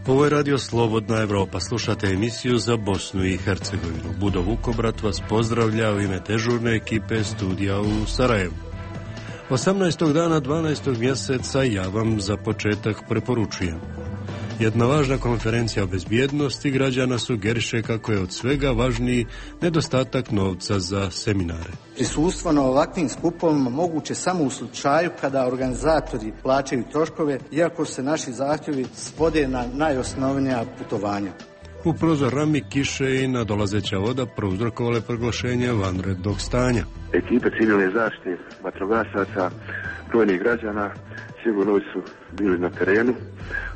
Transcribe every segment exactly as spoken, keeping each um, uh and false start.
Ovo je Radio Slobodna Evropa. Slušate emisiju za Bosnu i Hercegovinu. Budo Vukobrat vas pozdravlja u ime dežurne ekipe studija u Sarajevu. osamnaestog dana dvanaestog mjeseca ja vam za početak preporučujem. Jedna važna konferencija o bezbjednosti građana sugeriše kako je od svega važniji nedostatak novca za seminare. Prisustvo na ovakvim skupovima moguće samo u slučaju kada organizatori plaćaju troškove, iako se naši zahtjevi svode na najosnovnija putovanja. U prozor rami kiše i nadolazeća voda prouzrokovale proglašenje vanrednog stanja. Ekipe civilne zaštite, vatrogasaca, brojnih građana sigurno su bili na terenu,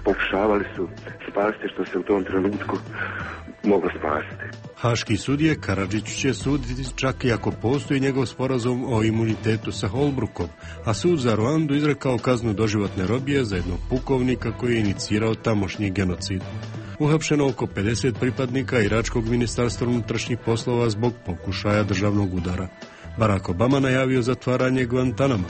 pokušavali su spasiti što se u tom trenutku moglo spasiti. Haški sudije Karadžić će suditi čak i ako postoji njegov sporazum o imunitetu sa Holbrukom, a sud za Ruandu izrekao kaznu doživotne robije za jednog pukovnika koji je inicirao tamošnji genocid. Uhapšeno oko pedeset pripadnika iračkog ministarstva unutrašnjih poslova zbog pokušaja državnog udara. Barack Obama najavio zatvaranje Guantanama.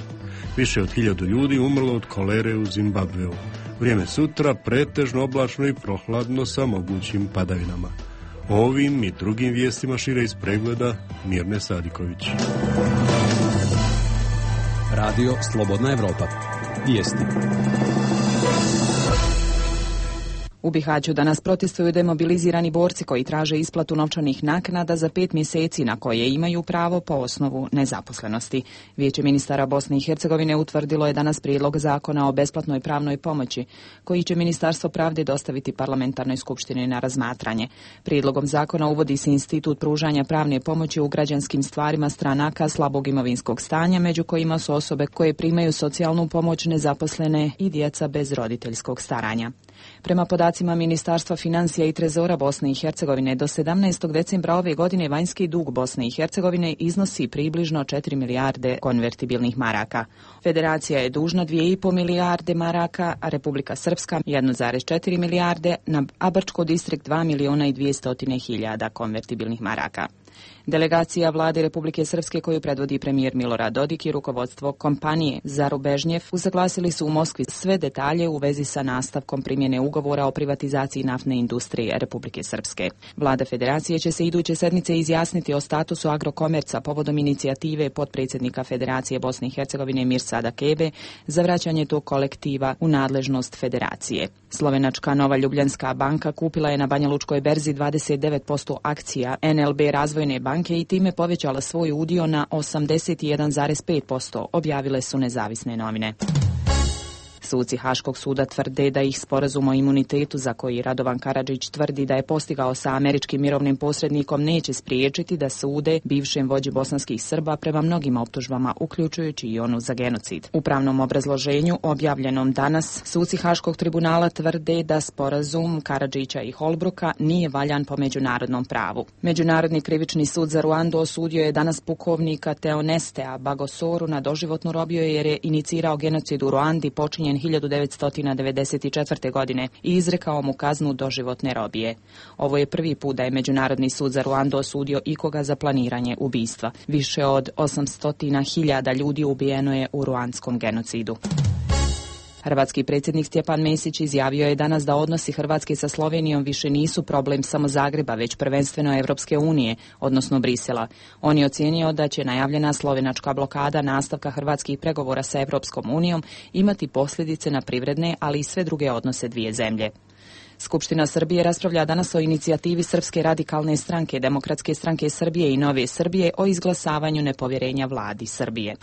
Više od hiljadu ljudi umrlo od kolere u Zimbabveu. Vrijeme sutra pretežno oblačno i prohladno sa mogućim padavinama. O ovim i drugim vijestima šire iz pregleda Mirne Sadiković. Radio Slobodna Evropa. Vijesti. U Bihaću danas protestuju demobilizirani borci koji traže isplatu novčanih naknada za pet mjeseci na koje imaju pravo po osnovu nezaposlenosti. Vijeće ministara Bosne i Hercegovine utvrdilo je danas prijedlog zakona o besplatnoj pravnoj pomoći, koji će Ministarstvo pravde dostaviti parlamentarnoj skupštini na razmatranje. Prijedlogom zakona uvodi se institut pružanja pravne pomoći u građanskim stvarima stranaka slabog imovinskog stanja, među kojima su osobe koje primaju socijalnu pomoć, nezaposlene i djeca bez roditeljskog staranja. Prema podacima Ministarstva financija i trezora Bosne i Hercegovine, do sedamnaestog decembra ove godine vanjski dug Bosne i Hercegovine iznosi približno četiri milijarde konvertibilnih maraka. Federacija je dužna dvije i pol milijarde maraka, a Republika Srpska jednu zarez četiri milijarde, a Brčko distrikt dva miliona i dvjesto hiljada konvertibilnih maraka. Delegacija vlade Republike Srpske koju predvodi premijer Milorad Dodik i rukovodstvo kompanije Zarubežnjev usaglasili su u Moskvi sve detalje u vezi sa nastavkom primjene ugovora o privatizaciji naftne industrije Republike Srpske. Vlada Federacije će se iduće sedmice izjasniti o statusu Agrokomerca povodom inicijative potpredsjednika Federacije Bosne i Hercegovine Mirsada Kebe za vraćanje tog kolektiva u nadležnost Federacije. Slovenačka Nova Ljubljanska banka kupila je na Banjalučkoj berzi dvadeset devet posto akcija N L B Razvojne banke i time povećala svoj udio na osamdeset jedan zarez pet posto, objavile su nezavisne novine. Suci Haškog suda tvrde da ih sporazum o imunitetu za koji Radovan Karadžić tvrdi da je postigao sa američkim mirovnim posrednikom neće spriječiti da sude bivšem vođi bosanskih Srba prema mnogim optužbama, uključujući i onu za genocid. U pravnom obrazloženju objavljenom danas, suci Haškog tribunala tvrde da sporazum Karadžića i Holbruka nije valjan po međunarodnom pravu. Međunarodni krivični sud za Ruandu osudio je danas pukovnika Teonestea Bagosoru na doživotnu robiju jer je inicirao genocid u Ruandi počinjen hiljadu devetsto devedeset četvrte. godine i izrekao mu kaznu doživotne robije. Ovo je prvi put da je Međunarodni sud za Ruandu osudio ikoga za planiranje ubistva. Više od osamsto hiljada ljudi ubijeno je u ruandskom genocidu. Hrvatski predsjednik Stjepan Mesić izjavio je danas da odnosi Hrvatske sa Slovenijom više nisu problem samo Zagreba, već prvenstveno Evropske unije, odnosno Brisela. On je ocijenio da će najavljena slovenačka blokada nastavka hrvatskih pregovora sa Evropskom unijom imati posljedice na privredne, ali i sve druge odnose dvije zemlje. Skupština Srbije raspravlja danas o inicijativi Srpske radikalne stranke, Demokratske stranke Srbije i Nove Srbije o izglasavanju nepovjerenja vladi Srbije.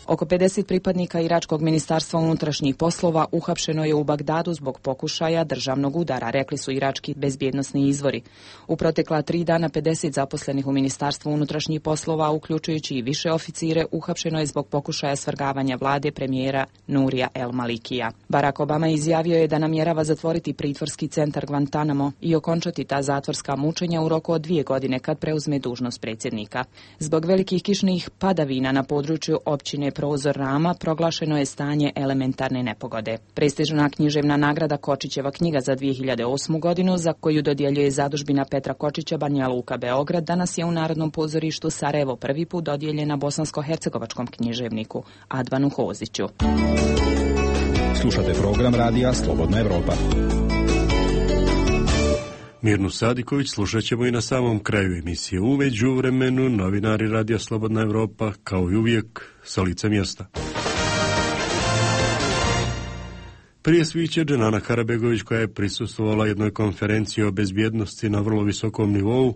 Oko pedeset pripadnika iračkog ministarstva unutrašnjih poslova uhapšeno je u Bagdadu zbog pokušaja državnog udara, rekli su irački bezbjednosni izvori. U protekla tri dana pedeset zaposlenih u ministarstvu unutrašnjih poslova, uključujući i više oficire, uhapšeno je zbog pokušaja svrgavanja vlade premijera Nurija El Malikija. Barack Obama izjavio je da namjerava zatvoriti pritvorski centar Guantanamo i okončati ta zatvorska mučenja u roku od dvije godine kad preuzme dužnost predsjednika. Zbog velikih kišnih padavina na području općine Prozor Rama proglašeno je stanje elementarne nepogode. Prestižna književna nagrada Kočićeva knjiga za dvije hiljade osmu. godinu, za koju dodjeljuje zadužbina Petra Kočića Banja Luka Beograd, danas je u Narodnom pozorištu Sarajevo prvi put dodijeljena bosansko-hercegovačkom književniku Advanu Hoziću. Slušate program radija Slobodna Evropa. Mirnu Sadiković slušat ćemo i na samom kraju emisije. U međuvremenu novinari Radija Slobodna Evropa, kao i uvijek, sa lica mjesta. Prije sviće Dženana Karabegović, koja je prisustvovala jednoj konferenciji o bezbjednosti na vrlo visokom nivou,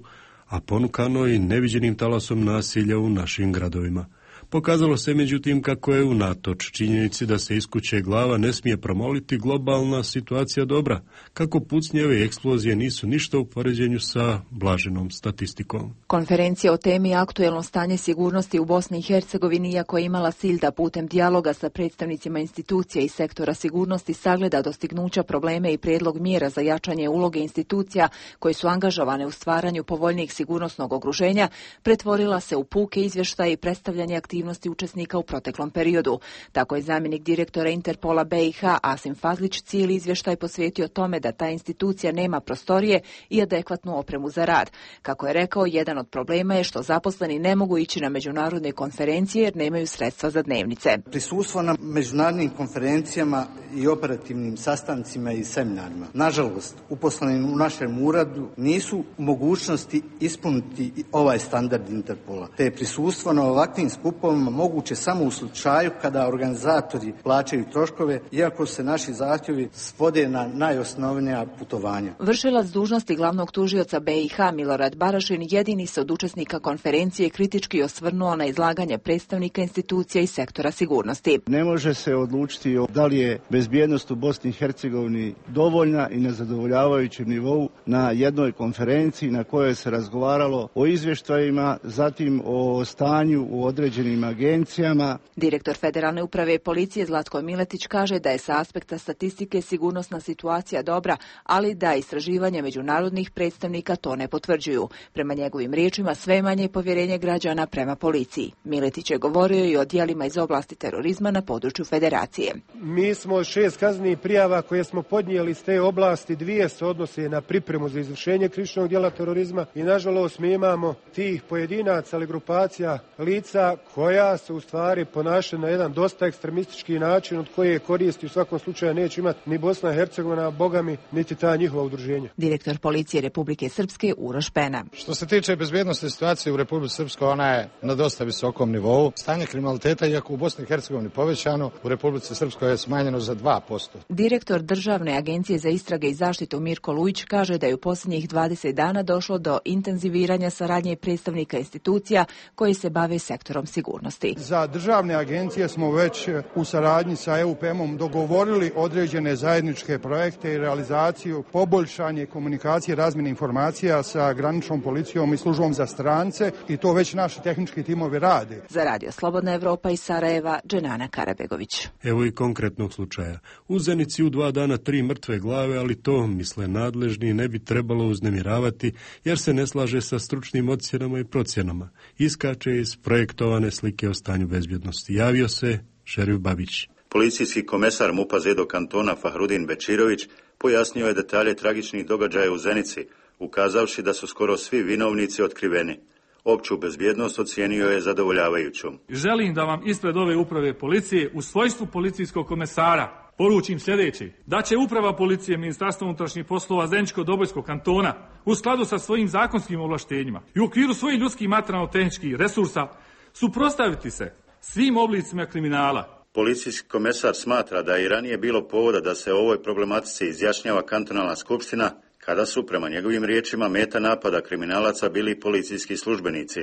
a ponukano i neviđenim talasom nasilja u našim gradovima. Pokazalo se međutim kako je unatoč činjenici da se iz kuće glava ne smije promoliti globalna situacija dobra, kako pucnjeve i eksplozije nisu ništa u poređenju sa blaženom statistikom. Konferencija o temi aktuelno stanje sigurnosti u Bosni i Hercegovini, iako je imala cilj da putem dijaloga sa predstavnicima institucija i sektora sigurnosti sagleda dostignuća, probleme i prijedlog mjera za jačanje uloge institucija koje su angažovane u stvaranju povoljnijeg sigurnosnog okruženja, pretvorila se u puke izvještaje i predstavljanje aktivnosti učesnika u proteklom periodu. Tako je zamjenik direktora Interpola B i H Asim Fazlić cijeli izvještaj posvetio tome da ta institucija nema prostorije i adekvatnu opremu za rad. Kako je rekao, jedan od problema je što zaposleni ne mogu ići na međunarodne konferencije jer nemaju sredstva za dnevnice. Prisustvo na međunarodnim konferencijama i operativnim sastancima i seminarima, nažalost, uposleni u našem uradu nisu u mogućnosti ispuniti ovaj standard Interpola, te je prisustvo na ovakvim skupovima moguće samo u slučaju kada organizatori plaćaju troškove, iako se naši zahtjevi svode na najosnovnija putovanja. Vršilac dužnosti glavnog tužioca B i H Milorad Barašin jedini se od učesnika konferencije kritički osvrnuo na izlaganje predstavnika institucija i sektora sigurnosti. Ne može se odlučiti da li je bezbjednost u Bosni i Hercegovini dovoljna i na zadovoljavajućem nivou na jednoj konferenciji na kojoj se razgovaralo o izvještajima, zatim o stanju u određenim agencijama. Direktor Federalne uprave policije Zlatko Miletić kaže da je sa aspekta statistike sigurnosna situacija dobra, ali da istraživanja međunarodnih predstavnika to ne potvrđuju. Prema njegovim riječima, sve manje je povjerenje građana prema policiji. Miletić je govorio i o djelima iz oblasti terorizma na području Federacije. Mi smo šest kaznenih prijava koje smo podnijeli iz te oblasti, dvije se odnose na pripremu za izvršenje krivičnog djela terorizma i nažalost mi imamo tih pojedinaca ili grupacija lica koja se u stvari ponaša na jedan dosta ekstremistički način od koje koristi u svakom slučaju neće imati ni Bosna i Hercegovina, bogami, niti ta njihova udruženja. Direktor policije Republike Srpske Uroš Pena. Što se tiče bezbjednosti situacije u Republici Srpskoj, ona je na dosta visokom nivou. Stanje kriminaliteta, iako u Bosni i Hercegovini povećano, u Republici Srpskoj je smanjeno za dva posto. Direktor Državne agencije za istrage i zaštitu Mirko Lujić kaže da je u posljednjih dvadeset dana došlo do intenziviranja saradnje predstavnika institucija koji se bave sektorom sigurnosti. Za državne agencije smo već u saradnji sa E U P M-om dogovorili određene zajedničke projekte i realizaciju, poboljšanje komunikacije, razmjene informacija sa graničnom policijom i službom za strance i to već naši tehnički timovi rade. Za Radio Slobodna Evropa iz Sarajeva, Dženana Karabegović. Evo i konkretnog slučaja. U Zenici u dva dana tri mrtve glave, ali to, misle nadležni, ne bi trebalo uznemiravati jer se ne slaže sa stručnim ocjenama i procjenama. Iskače iz projektovane slike o stanju bezbjednosti. Javio se Šerif Babić. Policijski komesar MUP-a Zedo kantona Fahrudin Bečirović pojasnio je detalje tragičnih događaja u Zenici, ukazavši da su skoro svi vinovnici otkriveni. Opću bezbjednost ocijenio je zadovoljavajućom. Želim da vam ispred ove uprave policije u svojstvu policijskog komesara poručim sljedeće, da će uprava policije Ministarstva unutrašnjih poslova Zeničko-Dobojskog kantona u skladu sa svojim zakonskim ovlaštenjima i u okviru svojih ljudskih materijalno-tehničkih resursa suprotstaviti se svim oblicima kriminala. Policijski komesar smatra da je i ranije bilo povoda da se o ovoj problematici izjašnjava kantonalna skupština, kada su, prema njegovim riječima, meta napada kriminalaca bili policijski službenici.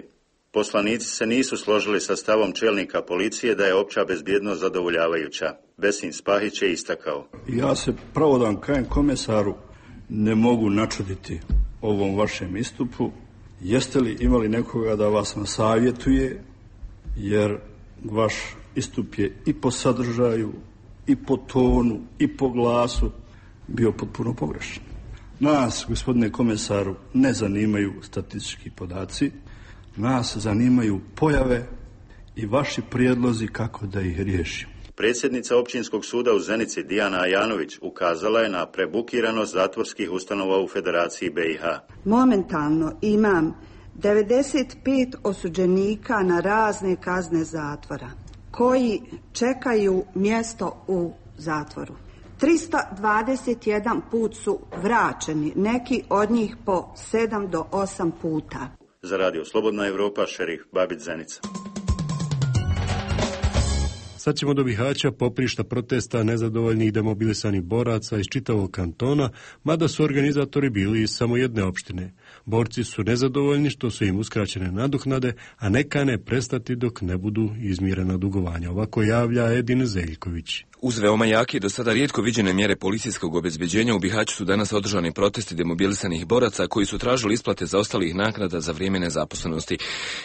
Poslanici se nisu složili sa stavom čelnika policije da je opća bezbjednost zadovoljavajuća. Besim Spahić je istakao. Ja se pravo da vam kažem komesaru ne mogu načuditi ovom vašem istupu. Jeste li imali nekoga da vas nasavjetuje, jer vaš istup je i po sadržaju, i po tonu, i po glasu bio potpuno pogrešan. Nas, gospodine komesaru, ne zanimaju statistički podaci, nas zanimaju pojave i vaši prijedlozi kako da ih riješimo. Predsjednica Općinskog suda u Zenici Dijana Ajanović ukazala je na prebukiranost zatvorskih ustanova u Federaciji B i H. Momentalno imam devedeset pet osuđenika na razne kazne zatvora koji čekaju mjesto u zatvoru. trista dvadeset jedan put su vraćeni, neki od njih po sedam do osam puta. Za radio Slobodna Evropa, Šerif Babić Zenica. Sad ćemo do Bihaća, poprišta protesta nezadovoljnih demobilisanih boraca iz čitavog kantona, mada su organizatori bili iz samo jedne opštine. Borci su nezadovoljni što su im uskraćene nadoknade, a ne kane prestati dok ne budu izmirena dugovanja. Ovako javlja Edin Zeljković. Uz veoma jake i do sada rijetko viđene mjere policijskog obezbeđenja u Bihaću su danas održani protesti demobilisanih boraca koji su tražili isplate zaostalih naknada za vrijeme nezaposlenosti.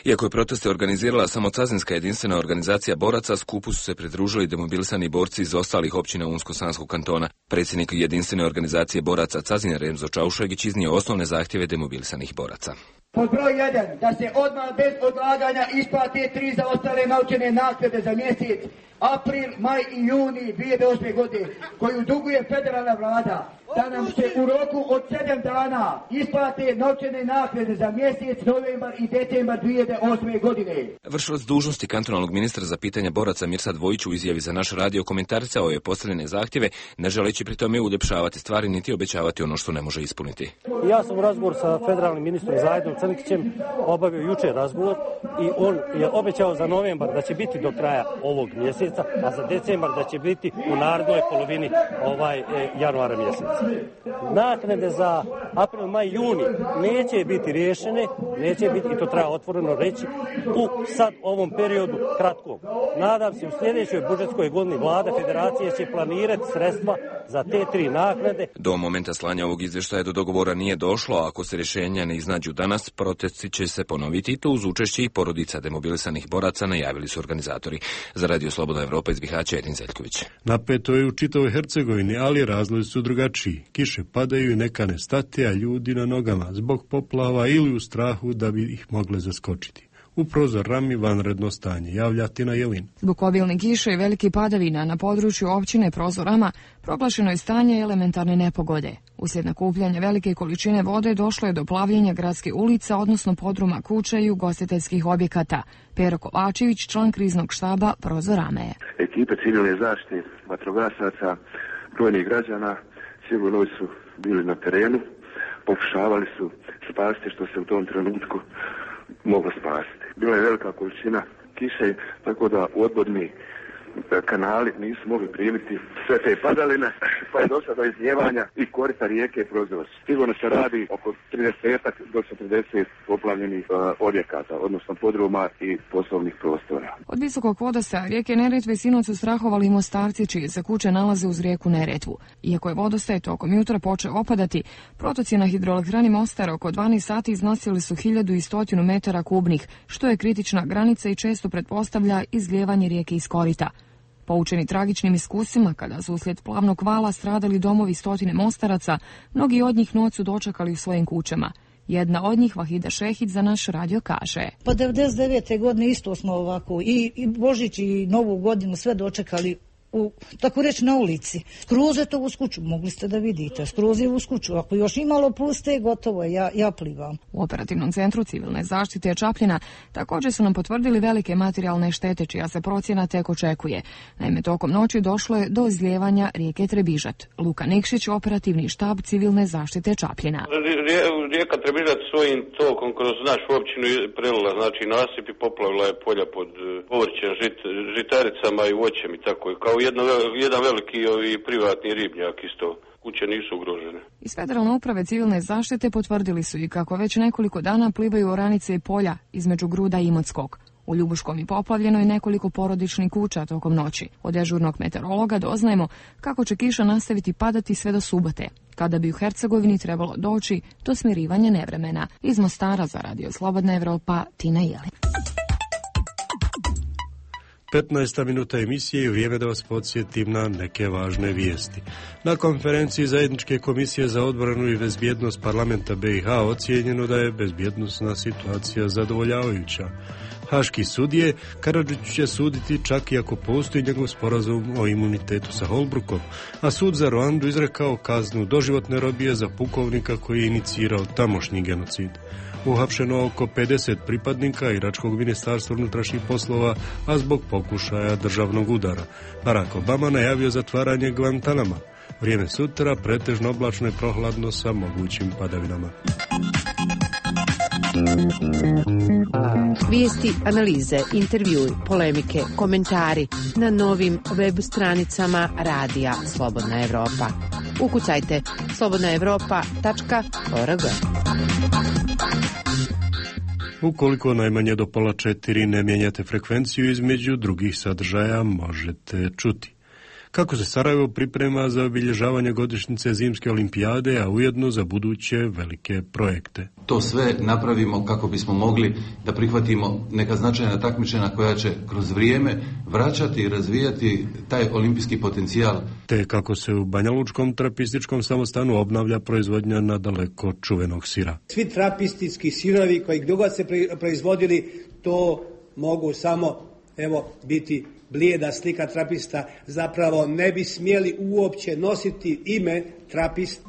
Iako je proteste organizirala samo Cazinska jedinstvena organizacija boraca, skupu su se pridružili demobilisani borci iz ostalih općina Unsko-Sanskog kantona. Predsjednik jedinstvene organizacije boraca Cazin Remzo Čaušegić iznio osnovne zahtjeve demobilisanih boraca. Pod broj jedan, da se odmah bez odlaganja isplate tri zaostale novčane naknade za mjesec april, maj i juni dvije hiljade osme. godine, koju duguje federalna vlada, da nam se u roku od sedam dana isplate novčane naknade za mjesec novembar i decembar dvije hiljade osme. godine. Vršilac dužnosti kantonalnog ministra za pitanja boraca Mirsad Vojić u izjavi za naš radio komentaricao je postavljene zahtjeve, ne želeći pri tome uljepšavati stvari niti obećavati ono što ne može ispuniti. Ja sam u razgovor sa federalnim ministrom Zajdom Crnkićem obavio jučer razgovor i on je obećao za novembar da će biti do kraja ovog mjeseca, a za decembar da će biti u narednoj polovini ovaj e, januara mjeseca. Naknade za april, maj, juni neće biti riješene, neće biti, i to treba otvoreno reći, u sad ovom periodu kratkom. Nadam se u sljedećoj budžetskoj godini vlada federacije će planirati sredstva za te tri naknade. Do momenta slanja ovog izvještaja do dogovora nije došlo, a ako se rješenja ne iznađu danas, protesti će se ponoviti i to uz učešće i porodica demobilisanih boraca, najavili su organizatori. Za radio Slobodna Evropa iz Bihaća, Edin Zeljković. Napeto je u čitavoj Hercegovini, ali razlozi su drugačiji. Kiše padaju i neka ne stati, a ljudi na nogama zbog poplava ili u strahu da bi ih mogle zaskočiti. U prozor rami vanredno stanje, javlja Tina Jelin. Zbog obilne kiše i velike padavina na području općine Prozorama proglašeno je stanje elementarne nepogode. Uslijed nakupljanja velike količine vode došlo je do plavljenja gradske ulica, odnosno podruma kuća i ugostiteljskih objekata. Pero Kovačević, član kriznog štaba Prozorame. Ekipe civilne zaštite, vatrogasaca, brojnih građana sigurno su bili na terenu, pokušavali su spasiti što se u tom trenutku moglo spasiti. Bila je velika količina kiše, tako da odvodni kanali nisu mogli primiti sve te padaline, pa je došlo do izljevanja i korita rijeke Prozor. Sigurno se radi oko trideset do četrdeset poplavljenih uh, objekata, odnosno podruma i poslovnih prostora. Od visokog vodostaja rijeke Neretve sinoć su strahovali Mostarci, čije se kuće nalaze uz rijeku Neretvu. Iako je vodostaj tokom jutra počeo opadati, protoci na hidroelektrani Mostar oko dvanaest sati iznosili su hiljadu sto metara kubnih, što je kritična granica i često pretpostavlja izlijevanje rijeke iz korita. Poučeni tragičnim iskusima, kada su uslijed plavnog vala stradali domovi stotine Mostaraca, mnogi od njih noć su dočekali u svojim kućama. Jedna od njih, Vahida Šehić, za naš radio kaže. Pa devedeset devete. godine isto smo ovako i, i Božić i Novu godinu sve dočekali u, tako reći, na ulici. Skroz je to uz kuću, mogli ste da vidite, skroz je uz kuću. Ako još imalo puste, gotovo je, ja, ja plivam. U operativnom centru civilne zaštite Čapljina također su nam potvrdili velike materijalne štete, čija se procjena tek očekuje. Naime, tokom noći došlo je do izlijevanja rijeke Trebižat. Luka Nikšić, operativni štab civilne zaštite Čapljina. Rijeka Trebižat svojim tokom kroz našu općinu prelila, znači nasip i poplavila je polja pod povrćem, žit, žitaricama i voćem i tako. Kao Jedno, jedan veliki ovi privatni ribnjak isto. Kuće nisu ugrožene. Iz Federalne uprave civilne zaštite potvrdili su i kako već nekoliko dana plivaju oranice i polja između Gruda i Imotskog. U Ljubuškom je poplavljeno i nekoliko porodičnih kuća tokom noći. Od dežurnog meteorologa doznajemo kako će kiša nastaviti padati sve do subote, kada bi u Hercegovini trebalo doći do smirivanja nevremena. Iz Mostara za radio Slobodna Evropa, Tina Jelin. petnaesta minuta emisije i vrijeme da vas podsjetim na neke važne vijesti. Na konferenciji Zajedničke komisije za odbranu i bezbjednost parlamenta B i H ocijenjeno da je bezbjednosna situacija zadovoljavajuća. Haški sudije Karadžiću će suditi čak i ako postoji njegov sporazum o imunitetu sa Holbrukom, a sud za Ruandu izrekao kaznu doživotne robije za pukovnika koji je inicirao tamošnji genocid. Uhapšeno oko pedeset pripadnika iračkog ministarstva unutrašnjih poslova, a zbog pokušaja državnog udara. Barack Obama najavio zatvaranje Guantanama. Vrijeme sutra pretežno oblačno i prohladno sa mogućim padavinama. Vijesti, analize, intervjui, polemike, komentari na novim web stranicama Radija Slobodna Evropa. Ukucajte slobodna evropa tačka org. Ukoliko najmanje do pola četiri ne mijenjate frekvenciju, između drugih sadržaja možete čuti kako se Sarajevo priprema za obilježavanje godišnjice zimske olimpijade, a ujedno za buduće velike projekte. To sve napravimo kako bismo mogli da prihvatimo neka značajna takmičenja koja će kroz vrijeme vraćati i razvijati taj olimpijski potencijal. Te kako se u Banjalučkom trapističkom samostanu obnavlja proizvodnja nadaleko čuvenog sira. Svi trapistički sirovi koji dugo se proizvodili, to mogu samo evo biti blijeda slika trapista, zapravo ne bi smjeli uopće nositi ime trapist.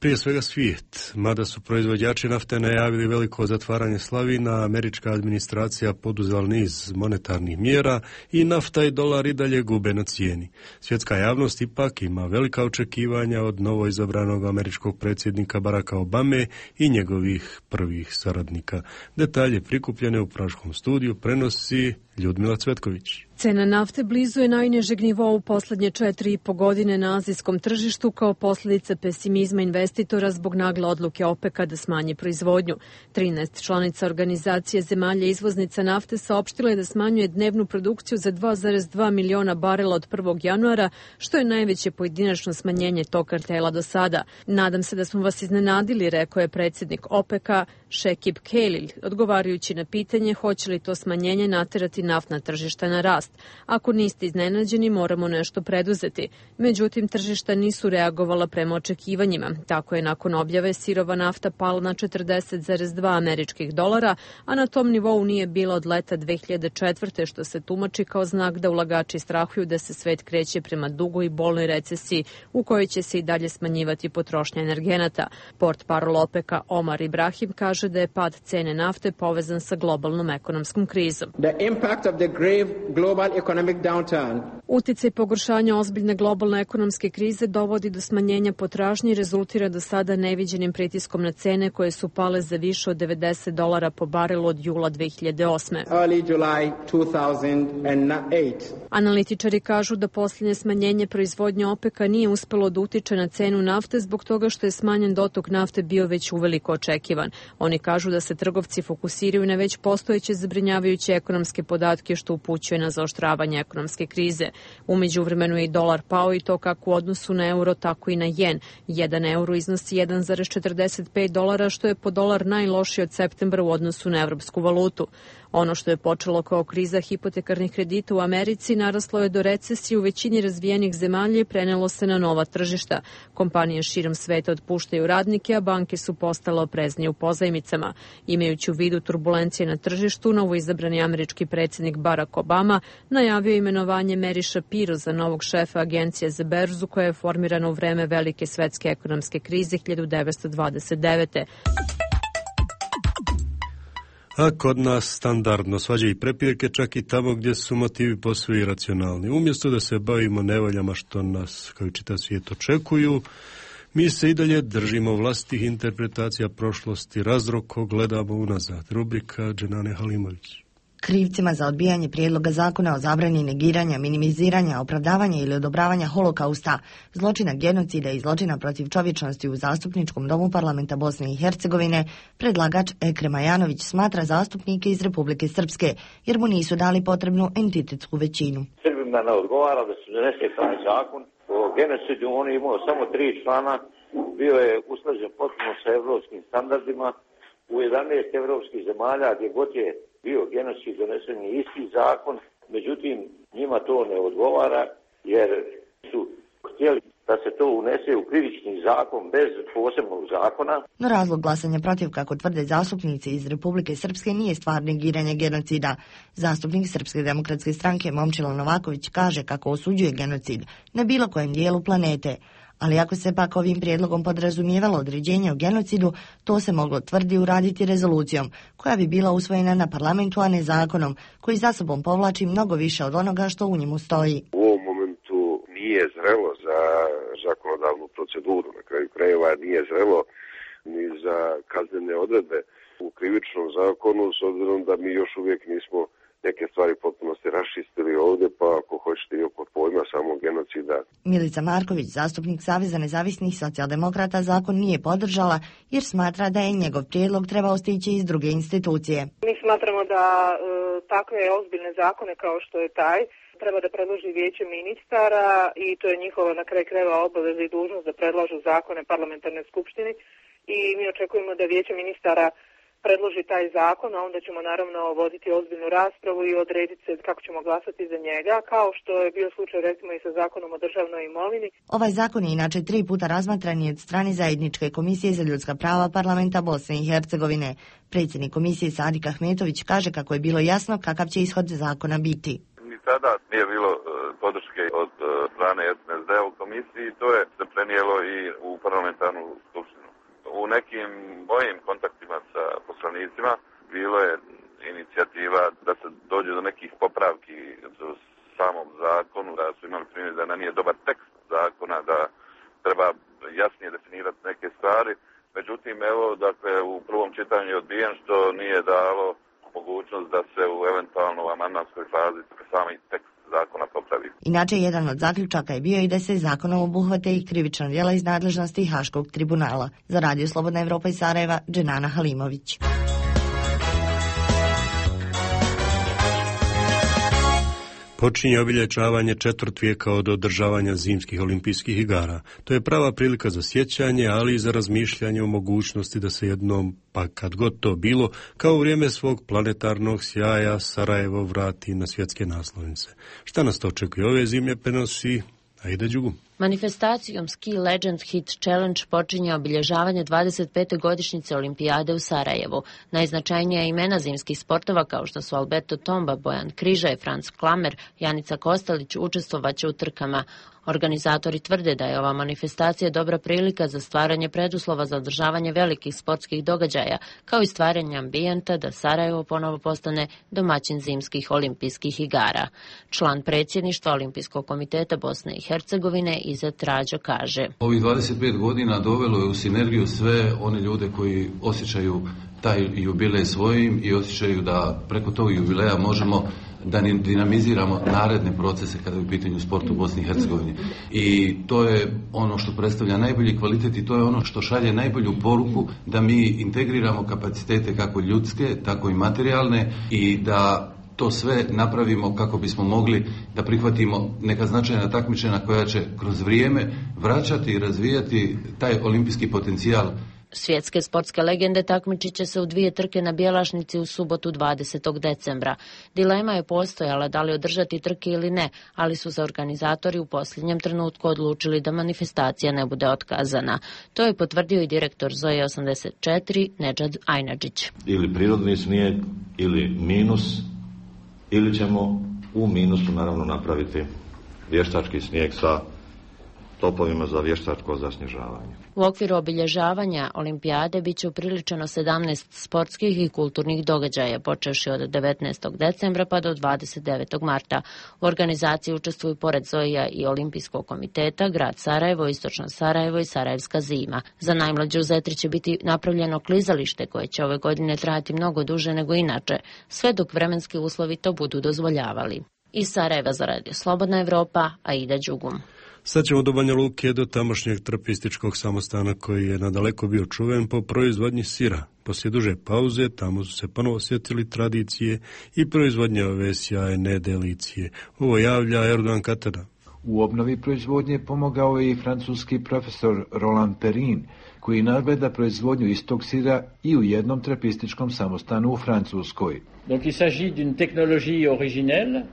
Prije svega svijet. Mada su proizvođači nafte najavili veliko zatvaranje slavina, američka administracija poduzela niz monetarnih mjera i nafta i dolar i dalje gube na cijeni. Svjetska javnost ipak ima velika očekivanja od novoizabranog američkog predsjednika Baracka Obame i njegovih prvih saradnika. Detalje prikupljene u Praškom studiju prenosi Ljudmila Cvetković. Cena nafte blizu je najnižeg nivoa u posljednje četiri i po godine na azijskom tržištu kao posljedica pesimizma investitora zbog nagle odluke OPEC-a da smanji proizvodnju. trinaest članica organizacije zemalja izvoznica nafte saopštile da smanjuje dnevnu produkciju za dva zarez dva miliona barela od prvog januara, što je najveće pojedinačno smanjenje tog kartela do sada. Nadam se da smo vas iznenadili, rekao je predsjednik OPEC-a Šekib Kelil, odgovarajući na pitanje hoće li to smanjenje naterati naftna tržišta na rast. Ako niste iznenađeni, moramo nešto preduzeti. Međutim, tržišta nisu reagovala prema očekivanjima. Tako je nakon objave sirova nafta pala na četrdeset zarez dva američkih dolara, a na tom nivou nije bila od leta dve hiljade četvrte. što se tumači kao znak da ulagači strahuju da se svet kreće prema dugoj i bolnoj recesiji u kojoj će se i dalje smanjivati potrošnja energenata. Portparol OPEC-a Omar Ibrahim kaže da je pad cene nafte povezan sa globalnom ekonomskom krizom. The impact of the grave global economic downturn. Uticaj pogoršanja ozbiljne globalne ekonomske krize dovodi do smanjenja potražnje i rezultira do sada neviđenim pritiskom na cene koje su pale za više od devedeset dolara po barelu od jula dve hiljade osme. Early July two thousand eight. Analitičari kažu da posljednje smanjenje proizvodnje OPEC-a nije uspelo da utiče na cenu nafte zbog toga što je smanjen dotok nafte bio već uveliko očekivan. Oni kažu da se trgovci fokusiraju na već postojeće zabrinjavajuće ekonomske podatke što upućuje na zaoštravanje ekonomske krize. U međuvremenu je i dolar pao i to kako u odnosu na euro, tako i na jen. Jedan euro iznosi jedan zarez četrdeset pet dolara, što je po dolar najlošiji od septembra u odnosu na evropsku valutu. Ono što je počelo kao kriza hipotekarnih kredita u Americi naraslo je do recesije u većini razvijenih zemalja i prenelo se na nova tržišta. Kompanije širom sveta otpuštaju radnike, a banke su postale opreznije u pozajmicama. Imajući u vidu turbulencije na tržištu, novoizabrani američki predsjednik Barack Obama najavio imenovanje Mary Shapiro za novog šefa agencije za berzu koja je formirana u vreme velike svetske ekonomske krize hiljadu devetsto dvadeset devete. A kod nas standardno svađa i prepirke čak i tamo gdje su motivi posve iracionalni. Umjesto da se bavimo nevoljama što nas, kao i čitav svijet, očekuju, mi se i dalje držimo vlastitih interpretacija prošlosti, razroko gledamo unazad. Rubrika Dženane Halimović. Krivcima za odbijanje prijedloga zakona o zabrani negiranja, minimiziranja, opravdavanja ili odobravanja holokausta, zločina genocida i zločina protiv čovječnosti u Zastupničkom domu parlamenta Bosne i Hercegovine, predlagač Ekrem Ajanović smatra zastupnike iz Republike Srpske, jer mu nisu dali potrebnu entitetsku većinu. Srbima ne odgovara da se donese taj zakon o genocidu, on je imao samo tri člana, bio je usklađen potpuno sa evropskim standardima, u jedanaest evropskih zemalja gdje god je bio genocid donesen je isti zakon, međutim njima to ne odgovara jer su htjeli da se to unese u krivični zakon bez posebnog zakona. No razlog glasanja protiv, kako tvrde zastupnici iz Republike Srpske, nije stvar negiranja genocida. Zastupnik Srpske demokratske stranke Momčilo Novaković kaže kako osuđuje genocid na bilo kojem dijelu planete. Ali ako se pak ovim prijedlogom podrazumijevalo određenje o genocidu, to se moglo, tvrdi, uraditi rezolucijom, koja bi bila usvojena na parlamentu, a ne zakonom, koji za sobom povlači mnogo više od onoga što u njemu stoji. U ovom momentu nije zrelo za zakonodavnu proceduru. Na kraju krajeva nije zrelo ni za kaznene odredbe u krivičnom zakonu, s obzirom da mi još uvijek nismo neke stvari potpunosti raščistili ovdje, pa ako hoćete i oko pojma samog genocida. Milica Marković, zastupnik Saveza nezavisnih socijaldemokrata, zakon nije podržala jer smatra da je njegov prijedlog trebao stići iz druge institucije. Mi smatramo da e, takve ozbiljne zakone kao što je taj treba da predloži vijeće ministara i to je njihova na kraju krajeva obaveza i dužnost da predlažu zakone parlamentarne skupštini i mi očekujemo da vijeće ministara predloži taj zakon, a onda ćemo naravno voditi ozbiljnu raspravu i odrediti se kako ćemo glasati za njega, kao što je bio slučaj recimo i sa zakonom o državnoj imovini. Ovaj zakon je inače tri puta razmatran i od strane Zajedničke komisije za ljudska prava parlamenta Bosne i Hercegovine. Predsjednik komisije Sadik Ahmetović kaže kako je bilo jasno kakav će ishod zakona biti. Ni tada nije bilo podrške od strane S N S D u komisiji, to je se prenijelo i u parlamentarnu skupštinu. U nekim mojim kontaktima sa poslanicima bilo je inicijativa da se dođe do nekih popravki u samom zakonu, da su imali primjer da nije dobar tekst zakona, da treba jasnije definirati neke stvari. Međutim, evo, dakle, u prvom čitanju je odbijen, što nije dalo mogućnost da se u eventualno amandmanskoj fazi sami tekst zakona popravi. Inače, jedan od zaključaka je bio i da se zakonom obuhvate i krivična djela iz nadležnosti Haškog tribunala. Za Radio Slobodna Evropa iz Sarajeva, Dženana Halimović. Počinje obilježavanje četvrt vijeka od održavanja zimskih olimpijskih igara. To je prava prilika za sjećanje, ali i za razmišljanje o mogućnosti da se jednom, pa kad god to bilo, kao u vrijeme svog planetarnog sjaja Sarajevo vrati na svjetske naslovnice. Šta nas to očekuje ove zime, prenosi Aida Đugum. Manifestacijom Ski Legend Hit Challenge počinje obilježavanje dvadeset pete godišnjice olimpijade u Sarajevu. Najznačajnija imena zimskih sportova kao što su Alberto Tomba, Bojan Križaj, Franz Klamer, Janica Kostelić učestvovaće u trkama. Organizatori tvrde da je ova manifestacija dobra prilika za stvaranje preduslova za održavanje velikih sportskih događaja, kao i stvaranje ambijenta da Sarajevo ponovo postane domaćin zimskih olimpijskih igara. Član predsjedništva Olimpijskog komiteta Bosne i Hercegovine Izet Rađo kaže: Ovih dvadeset pet godina dovelo je u sinergiju sve one ljude koji osjećaju taj jubilej svojim i osjećaju da preko tog jubileja možemo da dinamiziramo naredne procese kada je u pitanju sport u Bosni i Hercegovini. I to je ono što predstavlja najbolji kvalitet i to je ono što šalje najbolju poruku da mi integriramo kapacitete kako ljudske, tako i materijalne i da to sve napravimo kako bismo mogli da prihvatimo neka značajna takmičenja koja će kroz vrijeme vraćati i razvijati taj olimpijski potencijal. Svjetske sportske legende takmičit će se u dvije trke na Bjelašnici u subotu dvadesetog decembra. Dilema je postojala da li održati trke ili ne, ali su za organizatori u posljednjem trenutku odlučili da manifestacija ne bude otkazana. To je potvrdio i direktor Zoe osamdeset četiri Nedžad Ajnadžić. Ili prirodni snijeg, ili minus, ili ćemo u minusu naravno napraviti vještački snijeg sa topovima za vještačko zasnježavanje. U okviru obilježavanja olimpijade bit će upriličeno sedamnaest sportskih i kulturnih događaja, počevši od devetnaestog decembra pa do dvadeset devetog marta. U organizaciji učestvuju pored Zoija i Olimpijskog komiteta, grad Sarajevo, Istočno Sarajevo i Sarajevska zima. Za najmlađe u Zetri će biti napravljeno klizalište koje će ove godine trajati mnogo duže nego inače, sve dok vremenski uslovi to budu dozvoljavali. Iz Sarajeva za Radio Slobodna Evropa, Aida Đugum. Sad ćemo do Banja Luke, do tamošnjeg trapističkog samostana koji je nadaleko bio čuven po proizvodnji sira. Poslije duže pauze tamo su se ponovo sjetili tradicije i proizvodnje ove sjajne delicije. Ovo javlja Erdogan Katara. U obnovi proizvodnje pomogao je i francuski profesor Roland Perrin, koji nadgleda proizvodnju istog sira i u jednom trapističkom samostanu u Francuskoj. Donc il s'agit d'une technologie originelle.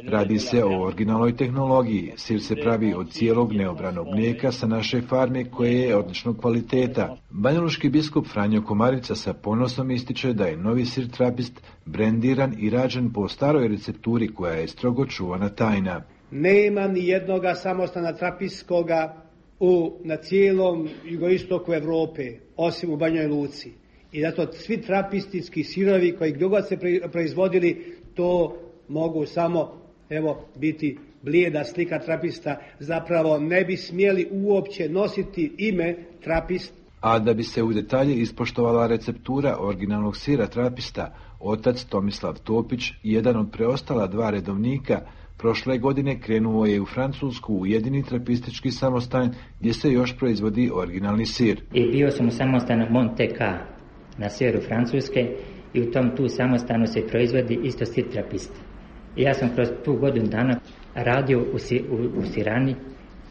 Radi se o originalnoj tehnologiji. Sir se pravi od cijelog neobranog mlijeka sa naše farme koje je odličnog kvaliteta. Banjaluški biskup Franjo Komarica sa ponosom ističe da je novi sir trapist brendiran i rađen po staroj recepturi koja je strogo čuvana tajna. Nema ni jednoga samostana trapistoga u, na cijelom jugoistoku Evrope, osim u Banjoj Luci. I zato svi trapistički sirovi koji gdje god se proizvodili, to mogu samo evo biti blijeda slika trapista, zapravo ne bi smjeli uopće nositi ime trapist. A da bi se u detalje ispoštovala receptura originalnog sira trapista, otac Tomislav Topić, jedan od preostala dva redovnika, prošle godine krenuo je u Francusku u jedini trapistički samostan gdje se još proizvodi originalni sir. I bio sam u samostanu Monteca na sjeveru Francuske i u tom tu samostanu se proizvodi isto sir trapist. I ja sam kroz tu godinu dana radio u, si, u, u sirani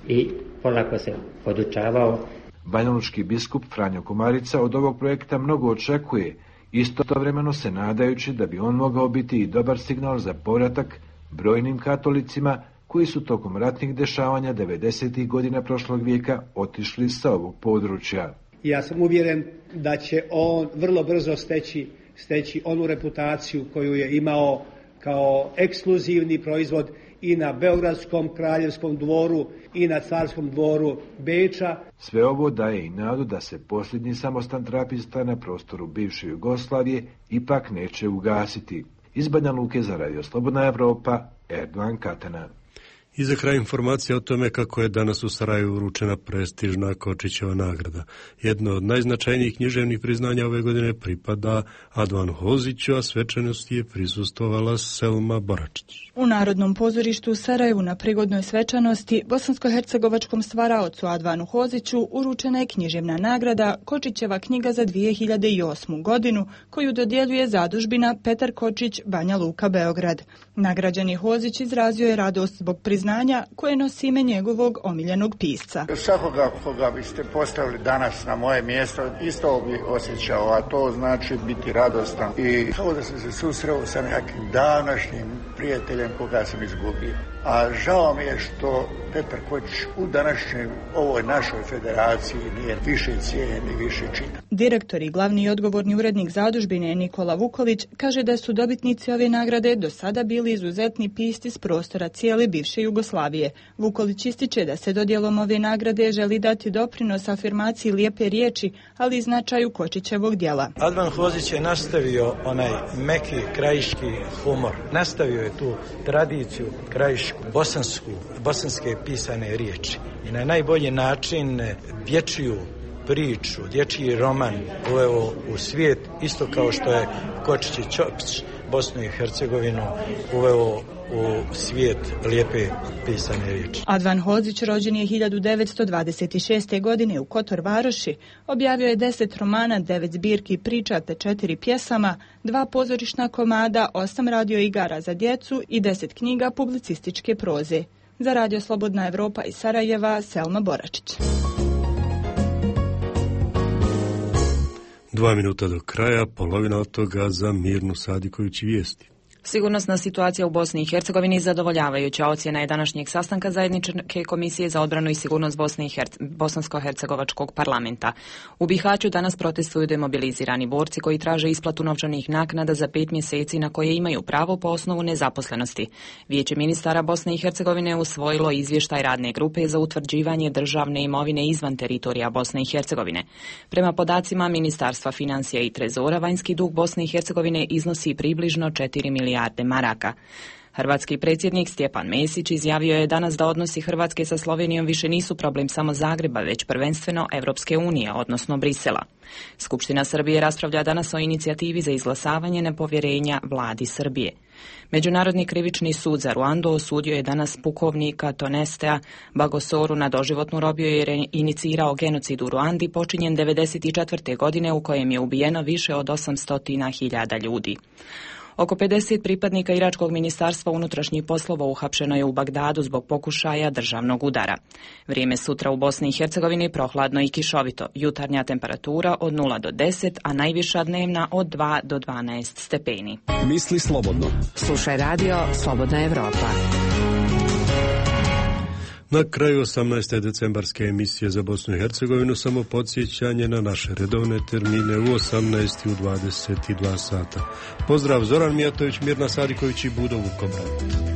i polako se podučavao. Banjalučki biskup Franjo Komarica od ovog projekta mnogo očekuje, istovremeno se nadajući da bi on mogao biti i dobar signal za povratak brojnim katolicima koji su tokom ratnih dešavanja devedesetih godina prošlog vijeka otišli sa ovog područja. Ja sam uvjeren da će on vrlo brzo steći, steći onu reputaciju koju je imao kao ekskluzivni proizvod i na Beogradskom kraljevskom dvoru i na carskom dvoru Beča. Sve ovo daje i nadu da se posljednji samostan trapista na prostoru bivše Jugoslavije ipak neće ugasiti. Iz Banja Luke za Radio Slobodna Evropa, Erdogan Katana. I za kraj informacija o tome kako je danas u Sarajevu uručena prestižna Kočićeva nagrada. Jedno od najznačajnijih književnih priznanja ove godine pripada Advanu Hoziću, a svečanosti je prisustvovala Selma Boračić. U Narodnom pozorištu u Sarajevu na prigodnoj svečanosti bosansko-hercegovačkom stvaraocu Advanu Hoziću uručena je književna nagrada Kočićeva knjiga za dvije hiljade osmu godinu, koju dodjeljuje zadužbina Petar Kočić, Banja Luka, Beograd. Nagrađeni Hozić izrazio je radost zbog priznanja koje nosi ime njegovog omiljenog pisca. Svakoga koga biste postavili danas na moje mjesto, isto bi osjećao, a to znači biti radostan i kao da sam se susreo sa nekim davnašnjim prijateljem koga sam izgubio. A žao mi je što Petar Kočić u današnjoj ovoj našoj federaciji nije više cijenjen i više čita. Direktor i glavni i odgovorni urednik zadužbine Nikola Vukolić kaže da su dobitnici ove nagrade do sada bili izuzetni pisci s prostora cijele bivše Jugoslavije. Vukolić ističe da se dodjelom ove nagrade želi dati doprinos afirmaciji lijepe riječi, ali i značaju Kočićevog djela. Advan Hozić je nastavio onaj meki krajiški humor. Nastavio je tu tradiciju krajišku, bosansku, bosanske pisane riječi. I na najbolji način dječju priču, dječji roman uveo u svijet, isto kao što je Kočić i Ćopić Bosnu i Hercegovinu uveo u svijet lijepe pisane riječi. Advan Hozić rođen je hiljadu devetsto dvadeset šeste. godine u Kotor Varoši. Objavio je deset romana, devet zbirki priča te četiri pjesama, dva pozorišna komada, osam radio igara za djecu i deset knjiga publicističke proze. Za Radio Slobodna Evropa iz Sarajeva, Selma Boračić. Dva minuta do kraja, polovina od toga za Mirnu Sadiković vijesti. Sigurnosna situacija u Bosni i Hercegovini zadovoljavajuća ocjena je današnjeg sastanka zajedničke komisije za odbranu i sigurnost Bosne i Herce- Bosansko-hercegovačkog parlamenta. U Bihaću danas protestuju demobilizirani borci koji traže isplatu novčanih naknada za pet mjeseci na koje imaju pravo po osnovu nezaposlenosti. Vijeće ministara Bosne i Hercegovine usvojilo izvještaj radne grupe za utvrđivanje državne imovine izvan teritorija Bosne i Hercegovine. Prema podacima Ministarstva financija i trezora, vanjski dug Bosne i Hercegovine iznosi približno četiri milijarde maraka. Hrvatski predsjednik Stjepan Mesić izjavio je danas da odnosi Hrvatske sa Slovenijom više nisu problem samo Zagreba, već prvenstveno Evropske unije, odnosno Brisela. Skupština Srbije raspravlja danas o inicijativi za izglasavanje nepovjerenja vladi Srbije. Međunarodni krivični sud za Ruandu osudio je danas pukovnika Tonestea Bagosoru na doživotnu robiju jer je inicirao genocid u Ruandi počinjen devedeset četvrte. godine u kojem je ubijeno više od osamsto hiljada ljudi. Oko pedeset pripadnika iračkog ministarstva unutrašnjih poslova uhapšeno je u Bagdadu zbog pokušaja državnog udara. Vrijeme sutra u Bosni i Hercegovini prohladno i kišovito. Jutarnja temperatura od nula do deset, a najviša dnevna od dva do dvanaest stepeni. Misli slobodno. Slušaj radio Slobodna Evropa. Na kraju osamnaeste decembarske emisije za Bosnu i Hercegovinu samo podsjećanje na naše redovne termine u osamnaest i u dvadeset dva sata. Pozdrav, Zoran Mijatović, Mirna Sadiković i Budo Vukobrad.